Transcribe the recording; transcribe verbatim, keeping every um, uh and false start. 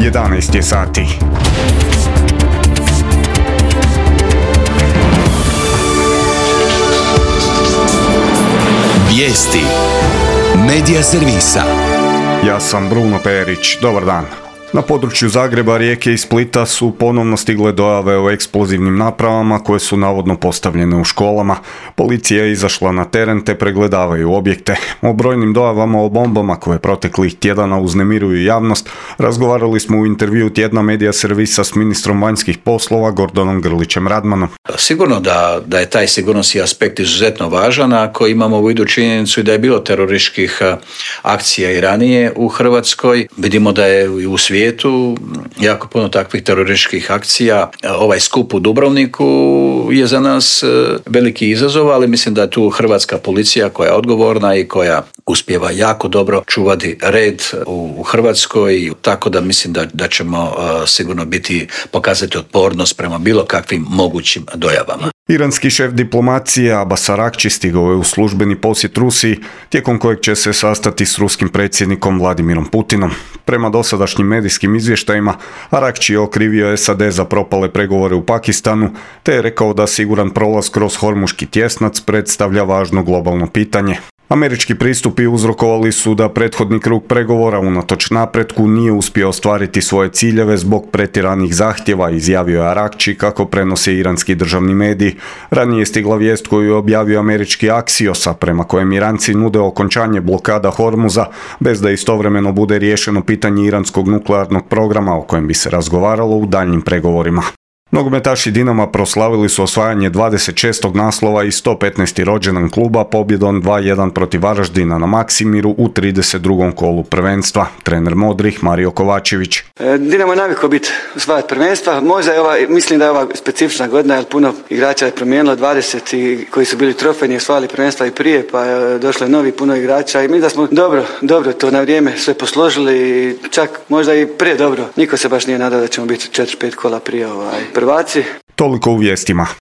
jedanaest je sati. Vijesti Medija servisa. Ja sam Bruno Perić, dobar dan. Na području Zagreba, Rijeke i Splita su ponovno stigle dojave o eksplozivnim napravama koje su navodno postavljene u školama. Policija je izašla na teren te pregledavaju objekte. O brojnim dojavama o bombama koje proteklih tjedana uznemiruju javnost razgovarali smo u intervju tjedna Medija servisa s ministrom vanjskih poslova Gordanom Grlićem Radmanom. Sigurno da, da je taj sigurnosni aspekt izuzetno važan ako imamo u vidu činjenicu da je bilo terorističkih akcija i ranije u Hrvatskoj. Vidimo da je i u svijetu jako puno takvih terorističkih akcija. Ovaj skup u Dubrovniku je za nas veliki izazov, ali mislim da je tu hrvatska policija koja je odgovorna i koja uspijeva jako dobro čuvati red u Hrvatskoj, tako da mislim da, da ćemo uh, sigurno biti, pokazati otpornost prema bilo kakvim mogućim dojavama. Iranski šef diplomacije Abbas Arakči stigao je u službeni posjet Rusiji, tijekom kojeg će se sastati s ruskim predsjednikom Vladimirom Putinom. Prema dosadašnjim medijskim izvještajima, Arakči je okrivio S A D za propale pregovore u Pakistanu, te je rekao da siguran prolaz kroz Hormuški tjesnac predstavlja važno globalno pitanje. Američki pristupi uzrokovali su da prethodni krug pregovora unatoč napretku nije uspio ostvariti svoje ciljeve zbog pretjeranih zahtjeva, izjavio je Arakči kako prenose iranski državni mediji. Ranije je stigla vijest koju je objavio američki Axios, prema kojem Iranci nude okončanje blokada Hormuza bez da istovremeno bude riješeno pitanje iranskog nuklearnog programa o kojem bi se razgovaralo u daljnjim pregovorima. Nogometaši Dinama proslavili su osvajanje dvadeset šestog naslova i sto petnaesti rođendan kluba pobjedom dva jedan protiv Varaždina na Maksimiru u trideset drugom kolu prvenstva. Trener Modrih Mario Kovačević. Dinamo je navikao biti osvajati prvenstva. Možda je ova, mislim da je ova specifična godina, jer puno igrača je promijenilo, dvadeset i koji su bili trofejni osvajali prvenstva i prije, pa je došlo novi puno igrača i mi da smo dobro, dobro to na vrijeme sve posložili, čak možda i prije dobro. Niko se baš nije nadao da ćemo biti četiri pet kola prije ovaj prvaci. Toliko u vijestima.